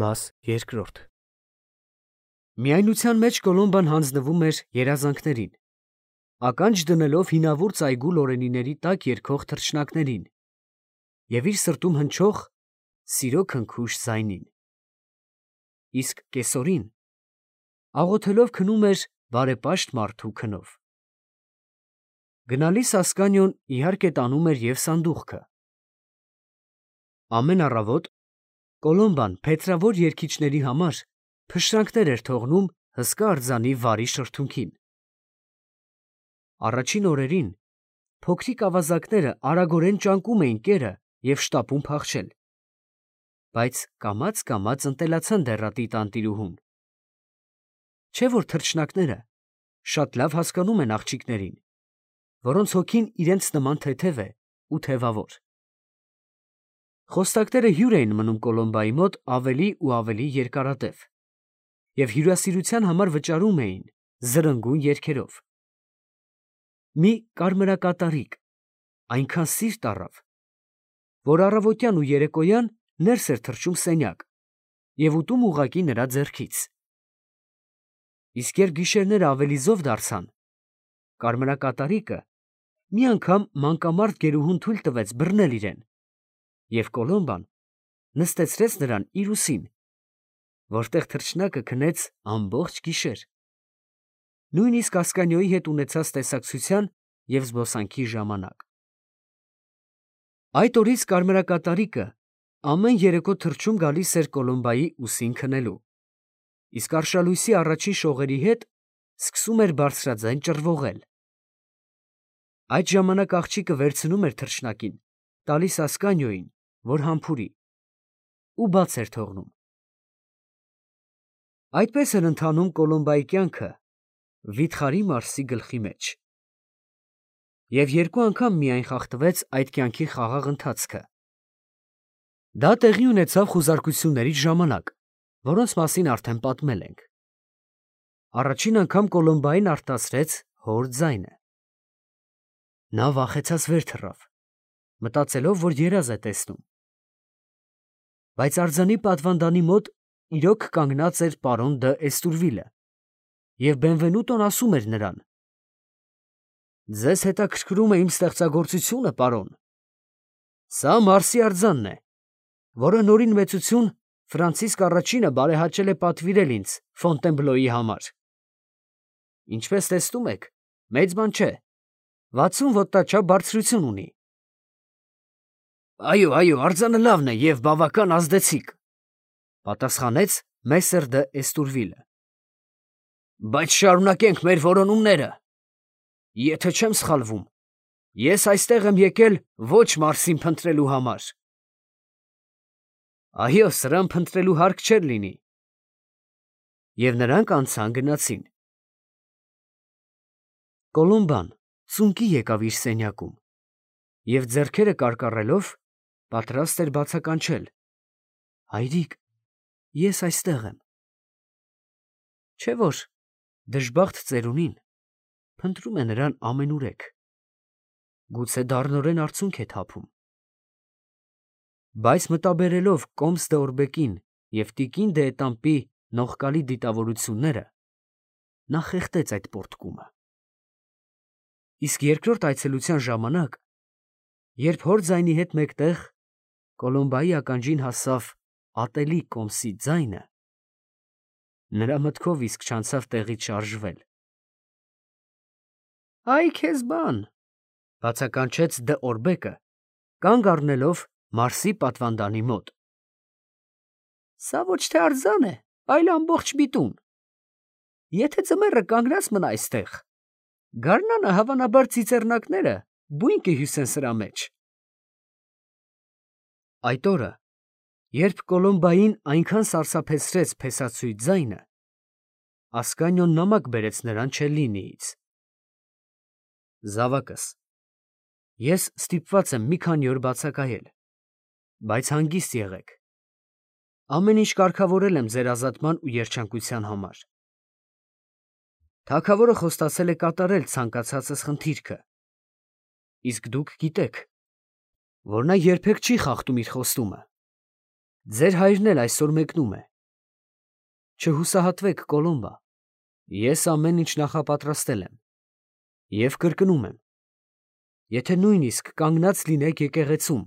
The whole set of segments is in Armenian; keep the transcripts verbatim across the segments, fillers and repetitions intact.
Մաս երկրորդ Միայնության մեջ Կոլոմբան հանձնվում էր երազանքներին, ականջ դնելով հինավուրց այգու լորենիների տակ երգող թռչնակներին և իր սրտում հնչող սիրո քնքուշ ձայնին, իսկ կեսօրին աղոթելով քնում էր բարեպաշտ մարդու քնով։ Գնալիս Ասկանիոն իհարկե տանում էր և սանդուղքը։ Ամեն առավոտ Կոլոմբան փետրավոր երգիչների համար փշրանքներ էր թողնում հսկա արձանի վարի շրթունքին։ Առաջին օրերին փոքրիկ ավազակները արագորեն ճանկում էին կերը և շտապում փախչել, բայց կամաց-կամաց ընտելացան դեռատի տանտիրուհուն։ Չէ՞ որ թռչնակները շատ լավ հասկանում են աղջիկներին, որոնց հոգին իրենց նման թեթև է ու թևավոր։ Խոստակները հյուր էին մնում Կոլոմբայի մոտ ավելի ու ավելի երկարատև և հյուրասիրության համար վճարում էին զրնգուն երգերով։ Մի կարմրակատարիկ այնքան սիրտ առավ, որ առավոտյան ու երեկոյան ներս էր թռչում սենյակ և ուտում ուղղակի նրա ձեռքից։ Իսկ երբ գիշերները ավելի զով դարձան, կարմրակատարիկը մի անգամ մանկամարդ գերուհուն թույլ տվեց բռնել իրեն, և Կոլոմբան նստեցրեց նրան իր ուսին, որտեղ թռչնակը քնեց ամբողջ գիշեր, նույնիսկ Ասկանիոյի հետ ունեցած տեսակցության և զբոսանքի ժամանակ։ Այդ օրից կարմրակատարիկը ամեն երեկո թռչում գալիս էր Կոլոմբայի ուսին քնելու, իսկ արշալույսի առաջին շողերի հետ սկսում էր բարձրաձայն ճռվողել։ Այդ ժամանակ աղջիկը վերցնում էր թռչնակին, տալիս Ասկանիոյին, որ համբուրի, ու բաց էր թողնում։ Այդպես էր ընթանում Կոլոմբայի կյանքը վիթխարի Մարսի գլխի մեջ։ Եվ երկու անգամ միայն խախտվեց այդ կյանքի խաղաղ ընթացքը։ Դա տեղի ունեցավ խուզարկությունների ժամանակ, որոնց մասին արդեն պատմել ենք։ Առաջին անգամ Կոլոմբային արտասրեց հոր ձայնը։ Նա վախեցած վեր թռավ, մտածելով, որ երազ է տեսնում։ Բայց արձանի պատվանդանի մոտ իրոք կանգնած էր պարոն դը Էստուրվիլը, և Բենվենուտոն ասում էր նրան. «Ձեզ հետաքրքրում է իմ ստեղծագործությունը, պարոն։ Սա Մարսի արձանն է, որը նորին մեծություն Ֆրանցիսկ առաջինը բարեհաճել է պատվիրել ինձ Ֆոնտենբլոյի համար։ Ինչպես տեսնում եք, մեծ բան չէ, վաթսուն ոտնաչափ բարձրություն ունի»։ «Այո, այո, արձանը լավն է և բավական ազդեցիկ», ֊ պատասխանեց Մեսեր դը Էստուրվիլը։ «Բայց շարունակենք մեր որոնումները։ Եթե չեմ սխալվում, ես այստեղ եմ եկել ոչ Մարսին փնտրելու համար»։ «Այո, սրան փնտրելու հարկ չէր լինի»։ Եվ նրանք անցան գնացին։ Կոլոմբան ծունկի եկավ իր սենյակում և ձեռքերը կարկառելով պատրաստ էր բացականչել. «Հայրիկ, ես այստեղ եմ»։ Չէ՞ որ դժբախտ ծերունին փնտրում է նրան ամենուրեք, գուցե դառնորեն արցունք է թափում։ Բայց մտաբերելով Կոմս դե Օրբեկին և տիկին դե Էտամպի նողկալի դիտավորությունները, նա խեղդեց այդ պոռթկումը։ Իսկ երկրորդ այցելության ժամանակ, երբ հոր ձայնի հետ մեկտեղ Կոլոմբայի ականջին հասավ ատելի Կոմսի ձայնը, նրա մտքով իսկ չանցավ տեղից շարժվել։ «Ա՛յ քեզ բան», ֊ բացականչեց դը Օրբեկը, կանգ առնելով Մարսի պատվանդանի մոտ։ «Սա ոչ թե արձան է, այլ ամբողջ միտուն։ Եթե ձմեռը կանգնած մնա այստեղ, գարնանը հավանաբար ծիծեռնակները բույն կհյուսեն սրա մեջ»։ Այդ օրը, երբ Կոլոմբային այնքան սարսափեցրեց փեսացույց ձայնը, Ասկանիոն նամակ բերեց նրան Չելլինիից. «Զավակս, ես ստիպված եմ մի քանի օր բացակայել, բայց հանգիստ եղեք. ամեն ինչ կարգավորել եմ ձեր ազատման ու երջանկության համար։ Թագավորը խոստացել է կատարել ցանկացածս խնդիրքը, իսկ դուք գիտեք, որ նա երբեք չի խախտում իր խոստումը։ Ձեր հայրն էլ այսօր մեկնում է։ Չհուսահատվեք, Կոլոմբա, ես ամեն ինչ նախապատրաստել եմ և կրկնում եմ, եթե նույնիսկ կանգնած լինեք եկեղեցում,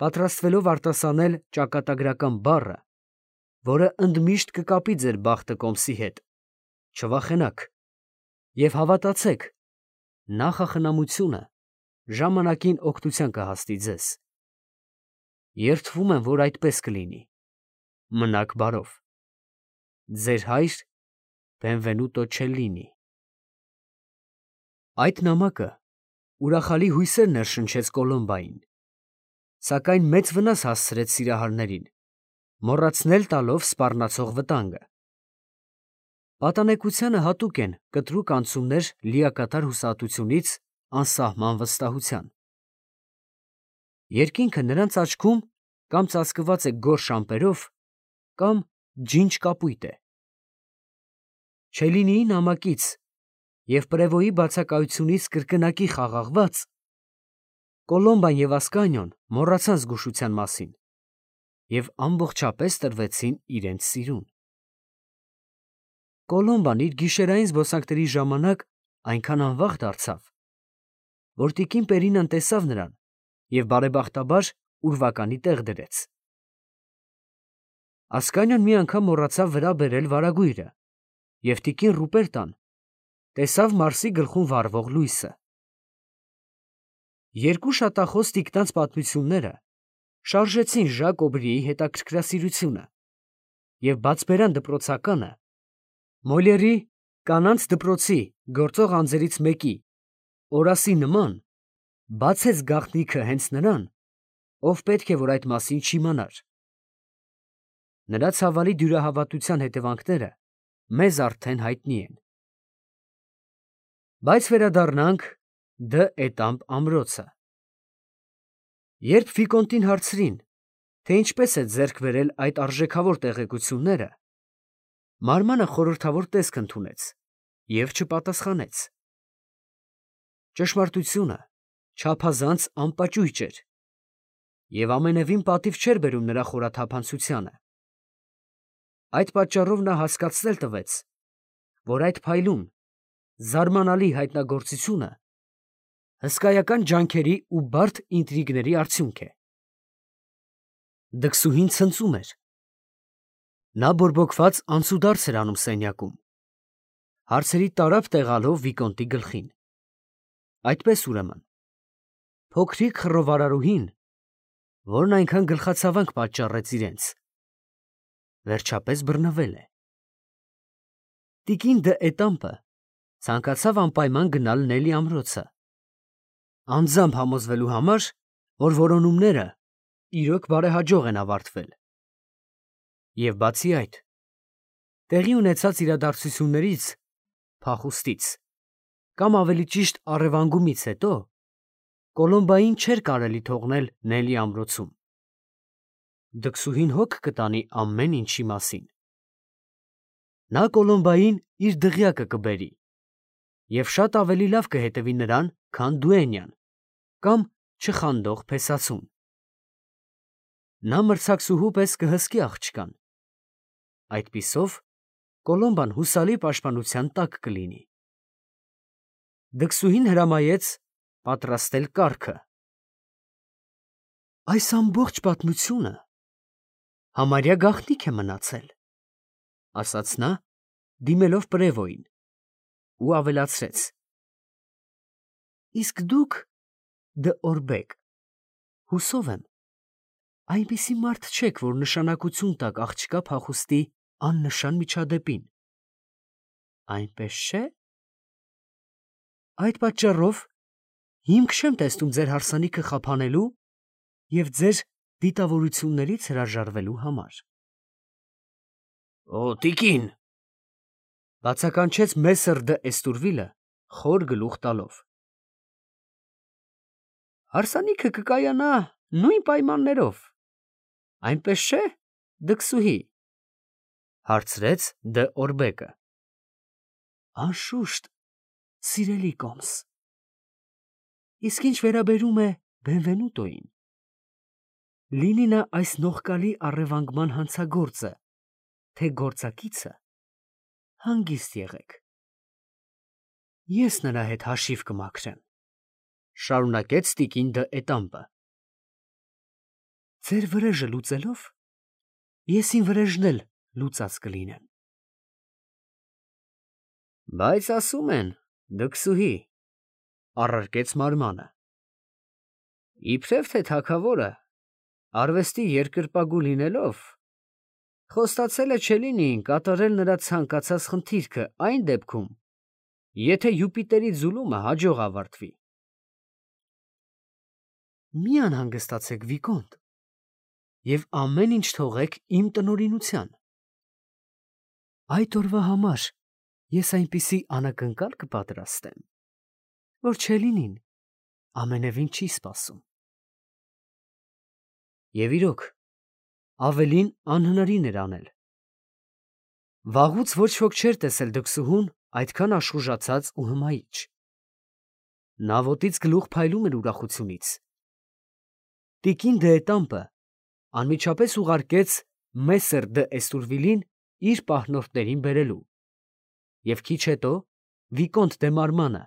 պատրաստվելով արտասանել ճակատագրական բառը, որը ընդմիշտ կկապի ձեր բախտը կոմսի հետ, չվախենաք և հավատացեք, նախախնամությունը ժամանակին օգնության կհասնի ձեզ։ Երդվում եմ, որ այդպես կլինի։ Մնաք բարով։ Ձեր հայր Բենվենուտո Չելլինի։ Այդ նամակը ուրախալի հույսեր ներշնչեց Կոլոմբային, սակայն մեծ վնաս հասցրեց սիրահարներին, մոռացնել տալով սպառնացող վտանգը։ Պատանեկությանը հատուկ են կտրուկ անցումներ լիակատար հուսահատությունից անսահման վստահության։ Երկինքը նրանց աչքում կամ ծածկված է գորշ ամպերով, կամ ջինջ կապույտ է։ Չելլինիի նամակից և Պրևոյի բացակայությունից կրկնակի խաղաղված, Կոլոմբան և Ասկանիոն մոռացան զգուշության մասին և ամբողջապես տրվեցին իրենց սիրուն։ Կոլոմբան իր գիշերային զբոսանքների ժամանակ այնքան անվախ դարձավ, որ տիկին Պերինան տեսավ նրան և բարեբախտաբար ուրվականի տեղ դրեց։ Ասկանիոն մի անգամ մոռացավ վրա բերել վարագույրը և տիկին Ռուպերտան տեսավ Մարսի գլխում վառվող լույսը։ Երկու շատախոս տիկնանց պատմությունները շարժեցին Ժակ Օբրիի հետաքրքրասիրությունը, և բացբերան դպրոցականը Մոլյերի «Կանանց դպրոցի» գործող անձերից մեկի Օրասի նման բացեց գաղտնիքը հենց նրան, ով պետք է որ այդ մասին չիմանար։ Նրա ցավալի դյուրահավատության հետևանքները մեզ արդեն հայտնի են։ Բայց վերադառնանք Դ. Էտամպ ամրոցը։ Երբ վիկոնտին հարցրին, թե ինչպես է ձեռք բերել այդ արժեքավոր տեղեկությունները, մարմանը խորհրդավոր տեսք ընդունեց և չպատասխանեց։ Ճշմարտությունը չափազանց անպաճույճ էր և ամենևին պատիվ չէր բերում նրա խորաթափանցությանը։ Այդ պատճառով նա հասկացնել տվեց, որ այդ փայլուն, զարմանալի հայտնագործությունը հսկայական ջանքերի ու բարդ ինտրիգների արդյունք է։ Դքսուհին ցնծում էր։ Նա բորբոքված անցուդարձ էր անում սենյակում, հարցերի տարափ տեղալով վիկոնտի գլխին։ Այդպես ուրեմն, փոքրիկ խռովարարուհին, որն այնքան գլխացավանք պատճառեց իրենց, վերջապես բռնվել է։ Տիկին Դ. Էտամպը ցանկացավ անպայման գնալ Նելի ամրոցը, անձամբ համոզվելու համար, որ որոնումները իրոք բարեհաջող են ավարտվել, և բացի այդ, տեղի ունեցած իրադարձություններից (փախուստից) կամ ավելի ճիշտ առևանգումից հետո Կոլոմբային չէր կարելի թողնել Նելի ամրոցում։ Դքսուհին հոգ կտանի ամեն ինչի մասին։ Նա Կոլոմբային իր դղյակը կբերի և շատ ավելի լավ կհետևի նրան, քան Դուենյան կամ չխանդող փեսացուն։ Նա մրցակցուհու պես կհսկի աղջկան։ Այդպիսով Կոլոմբան հուսալի պաշտպանության տակ կլինի։ Դքսուհին հրամայեց պատրաստել կառքը։ Այս ամբողջ պատմությունը համարյա գաղտնիք է մնացել, ֊ ասաց նա, դիմելով Պրևոյին, ու ավելացրեց. Իսկ դուք, Դ. Օրբեկ, հուսով եմ, այնպիսի մարդ չեք, որ նշանակություն տաք աղջկա փախուստի աննշան միջադեպին, այնպես չէ՞։ Այդ պատճառով հիմք չեմ տեսնում ձեր հարսանիքը խափանելու և ձեր դիտավորություններից հրաժարվելու համար։ ֊ Օ, տիկին, ֊ բացականչեց Մեսսր Դ. Էստուրվիլը խոր գլուխ տալով։ ֊ Հարսանիքը կկայանա նույն պայմաններով, այնպես չէ՞, դքսուհի, ֊ հարցրեց Դ. Օրբեկը։ ֊ Անշուշտ, սիրելի կոմս։ Իսկ ինչ վերաբերում է Բենվենուտոյին, լինի նա այս նողկալի առևանգման հանցագործը, թե գործակիցը, հանգիստ եղեք։ Ես նրա հետ հաշիվ կմաքրեմ, շարունակեց տիկին դը Էտամպը։ Ձեր վրեժը լուծելով, ես իմ վրեժն էլ լուծած կլինեմ։ Բայց ասում են, դքսուհի, առարկեց մարմանը, իբրև թե թագավորը, արվեստի երկրպագու լինելով, խոստացել է Չելինիին կատարել նրա ցանկացած խնդիրքը այն դեպքում, եթե Յուպիտերի ձուլումը հաջող ավարտվի։ Մի անհանգստացեք, Վիկոնտ, և ամեն ինչ թողեք իմ տնօրինության։ Այդ օրվա համար ես այնպիսի անակնկալ կպատրաստեմ, որ Չելինին ամենևին չի սպասում։ Եվ իրոք, ավելին անհնարին էր անել։ Վաղուց ոչ ոք չէր տեսել դքսուհուն այդքան աշխուժացած ու հմայիչ։ Նա ոտից գլուխ փայլում էր ուրախությունից։ Տիկին դը Էտամպը անմիջապես ուղարկեց Մեսեր դը Էստուրվիլին իր պահնորդներին բերելու, և քիչ հետո Վիկոնտ դե Մարմանը,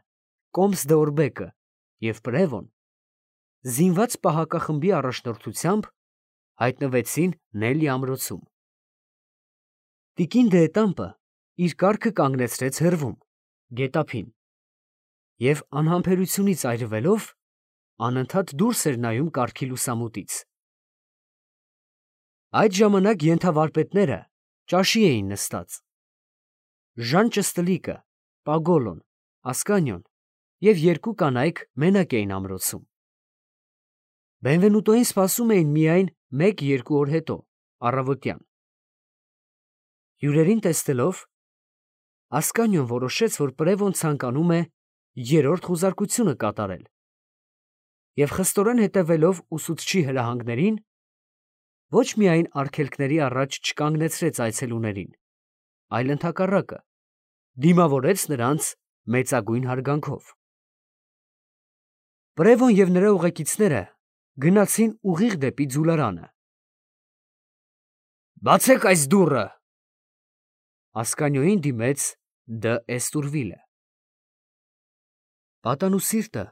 կոմս դը Օրբեկը և Պրևոն, զինված պահակախմբի առաջնորդությամբ հայտնվեցին Նելի ամրոցում։ Տիկին դը Էտամպը իր կառքը կանգնեցրեց հեռվում, գետափին, և անհամբերությունից այրվելով անընդհատ դուրս էր նայում կառքի լուսամուտից։ Այդ ժամանակ ենթավարպետները ճաշի էին նստած։ Ժան Ճստլիկը, Պագոլոն, Ասկանիոն և երկու կանայք մենակ էին ամրոցում։ Բենվենուտոյին սպասում էին միայն մեկ֊երկու օր հետո, առավոտյան։ Հյուրերին տեսնելով, Ասկանիոն որոշեց, որ Պրևոն ցանկանում է երրորդ խուզարկությունը կատարել, և խստորեն հետևելով ուսուցչի հրահանգներին, ոչ միայն արգելքների առաջ չկանգնեցրեց այցելուներին, այլ ընդհակառակը, դիմավորեց նրանց մեծագույն հարգանքով։ Պրևոն և նրա ուղեկիցները գնացին ուղիղ դեպի ձուլարանը։ Բացեք այս դուռը, Ասկանիոյին դիմեց դը Էստուրվիլը։ Պատանուսիրտը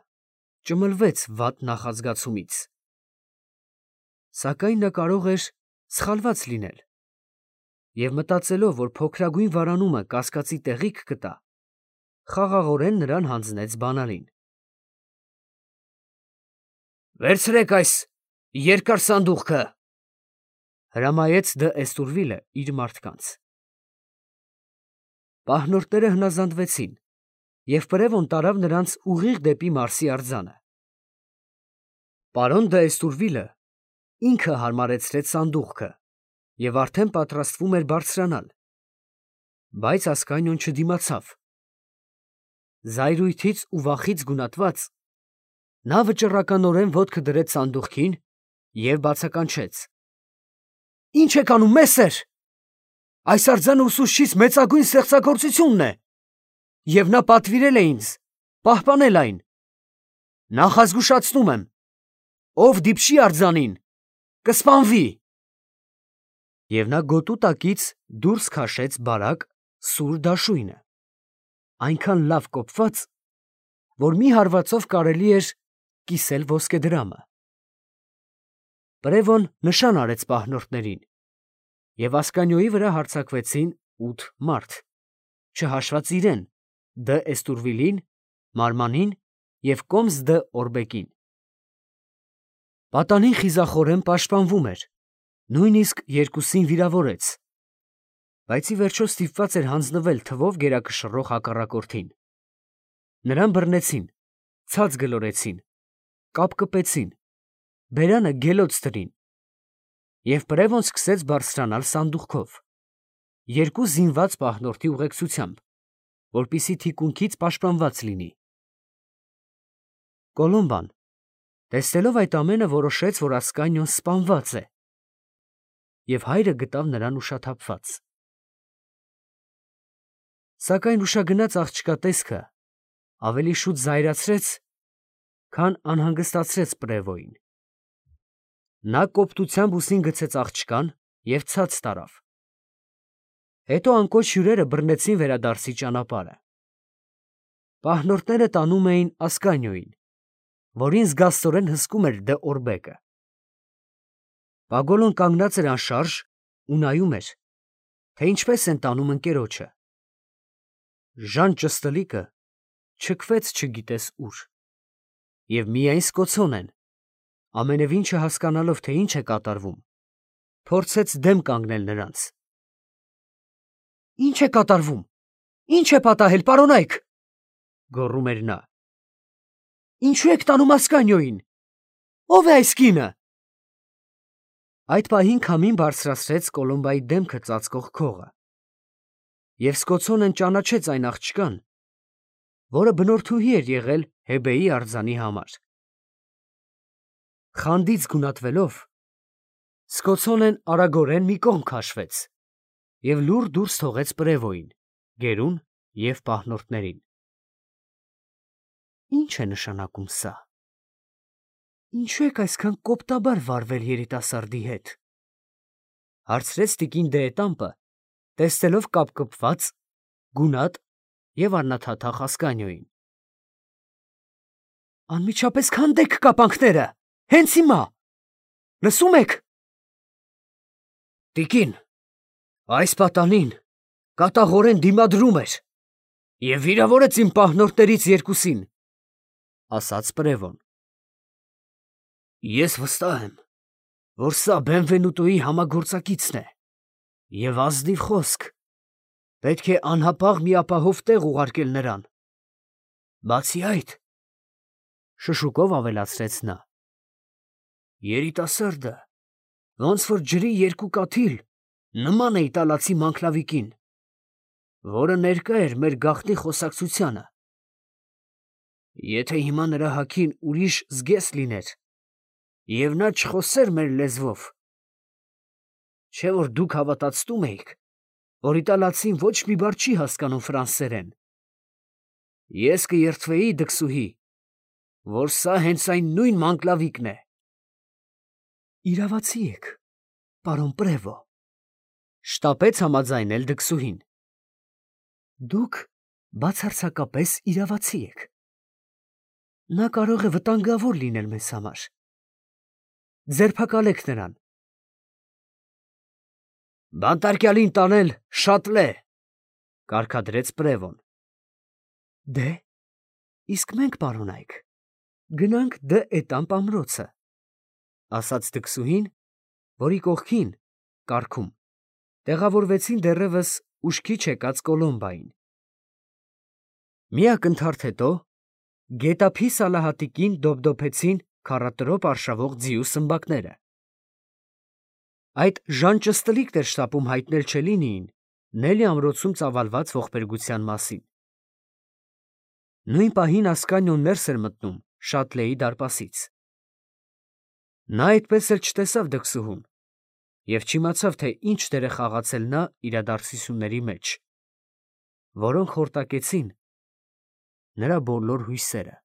ճմլվեց վատ նախազգացումից։ Սակայն նա կարող էր սխալված լինել, և մտածելով, որ փոքրագույն վարանումը կասկածի տեղիք կտա, խաղաղորեն նրան հանձնեց բանալին։ Վերցրեք այս երկար սանդուղքը, հրամայեց դը Էստուրվիլը իր մարդկանց։ Պահնորդները հնազանդվեցին, և Պրևոն տարավ նրանց ուղիղ դեպի Մարսի արձանը։ Պարոն դը Էստուրվիլը ինքը հարմարեցրեց սանդուղքը և արդեն պատրաստվում էր բարձրանալ, բայց Ասկանիոն չդիմացավ։ Զայրույթից ու վախից գունատված, նա վճռականորեն ոտքը դրեց սանդուղքին և բացականչեց. Ի՞նչ եք անում, Մեսեր, այս արձանը ուսուցչիս մեծագույն ստեղծագործությունն է, և նա պատվիրել է ինձ պահպանել այն։ Նախազգուշացնում եմ, ով դիպչի արձանին, կսպանվի։ Եվ նա գոտու տակից դուրս քաշեց բարակ սուր դաշույնը, այնքան լավ կոփված, որ մի հարվածով կարելի էր կիսել ոսկեդրամը։ Պրևոն նշան արեց պահնորդներին, և Ասկանիոյի վրա հարձակվեցին ութ մարդ, չհաշված իրեն, դը Էստուրվիլին, Մարմանին և կոմս դը Օրբեկին։ Պատանին խիզախորեն պաշտպանվում էր, նույնիսկ երկուսին վիրավորեց, բայց ի վերջո ստիպված էր հանձնվել թվով գերակշռող հակառակորդին։ Նրան բռնեցին, ցած գլորեցին, կապկպեցին, բերանը գելոց դրին, և Պրևոն սկսեց բարձրանալ սանդուղքով, երկու զինված պահնորդի ուղեկցությամբ, որպեսզի թիկունքից պաշտպանված լինի։ Կոլոմբան, տեսնելով այդ ամենը, որոշեց, որ Ասկանիոն սպանված է, և հայրը գտավ նրան ուշաթափված։ Սակայն ուշագնաց աղջկա տեսքը ավելի շուտ զայրացրեց, քան անհանգստացրեց Պրևոյին։ Նա կոպտությամբ ուսին գցեց աղջկան և ցած տարավ։ Հետո անկոչ հյուրերը բռնեցին վերադարձի ճանապարհը։ Պահնորդները տանում էին Ասկանիոյին, որին զգաստորեն հսկում էր Դը Օրբեկը։ Պագոլոն կանգնած էր անշարժ ու նայում էր, թե ինչպես են տանում ընկերոջը։ Ժան Ճստլիկը չքվեց չգիտես ուր, և միայն Սկոցոնեն, ամենևին չհասկանալով, թե ինչ է կատարվում, փորձեց դեմ կանգնել նրանց։ Ի՞նչ է կատարվում, ի՞նչ է պատահել, պարոնայք, գոռում էր նա։ Ինչու եք տանում Ասկանիոյին, ո՞վ է այս կինը։ Այդ պահին քամին բարձրացրեց Կոլոմբայի դեմքը ծածկող քողը, և Սկոցոնեն ճանաչեց այն աղջկան, որը բնորդուհի էր եղել Հեբեի արձանի համար։ Խանդից գունատվելով, Սկոցոնեն արագորեն մի կողմ քաշվեց և լուռ դուրս թողեց պրևոյին, գերուն և պահնորդներին։ Ի՞նչ է նշանակում սա։ Ինչու եք այսքան կոպտաբար վարվել երիտասարդի հետ, հարցրեց տիկին Դ'Ետամպը, տեսնելով կապկպված, գունատ և առնաթաթախ Ասկանիոյին։ Անմիջապես քանդեք կապանքները, հենց հիմա, լսում եք։ Տիկին, այս պատանին կատաղորեն դիմադրում էր և վիրավորեց իմ պահնորդներից երկուսին, ասաց պրևոն։ Ես վստահ եմ, որ սա Բենվենուտոյի համագործակիցն է, և ազնիվ խոսք, պետք է անհապաղ մի ապահով տեղ ուղարկել նրան։ Բացի այդ, շշուկով ավելացրեց նա, երիտասարդը ոնց որ ջրի երկու կաթիլ նման է իտալացի մանկլավիկին, որը ներկա էր մեր գաղտնի խոսակցությանը։ Եթե հիմա նրա հագին ուրիշ զգեստ լիներ, և նա չխոսեր մեր լեզվով, չէ՞ որ դուք հավատացնում էիք, որ իտալացին ոչ մի բառ չի հասկանում ֆրանսերեն, ես կերթվեի դքսուհի, որ սա հենց այն նույն մանկլավիկն է։ Իրավացի եք, պարոն պրևո, շտապեց համաձայնել դքսուհին։ Դուք բացարձակապես իրավացի եք։ Նա կարող է վտանգավոր լինել մեզ համար։ Ձերբակալեք նրան։ Բանտարկյալին տանել շատլե, կարգադրեց պրևոն։ Դե, իսկ մենք, պարոնայք, գնանք Դ'Ետամպ ամրոցը, ասաց դքսուհին, որի կողքին, կառքում, տեղավորվեցին դեռևս ուշքի չեկած Կոլոմբային։ Մի ակնթարթ հետո գետափի սալահատիկին դոպդոպեցին քառատրոպ արշավող ձիու սմբակները։ Այդ Ժան Ճստլիկն էր շտապում հայտնել Չելինիին Նելի ամրոցում ծավալված ողբերգության մասին։ Նույն պահին Ասկանիոն ներս էր մտնում Շատլեի դարպասից։ Նա այդպես էլ չտեսավ դքսուհուն և չիմացավ, թե ինչ դեր է խաղացել նա իրադարձությունների մեջ, որոնք խորտակեցին նրա բոլոր հույսերը։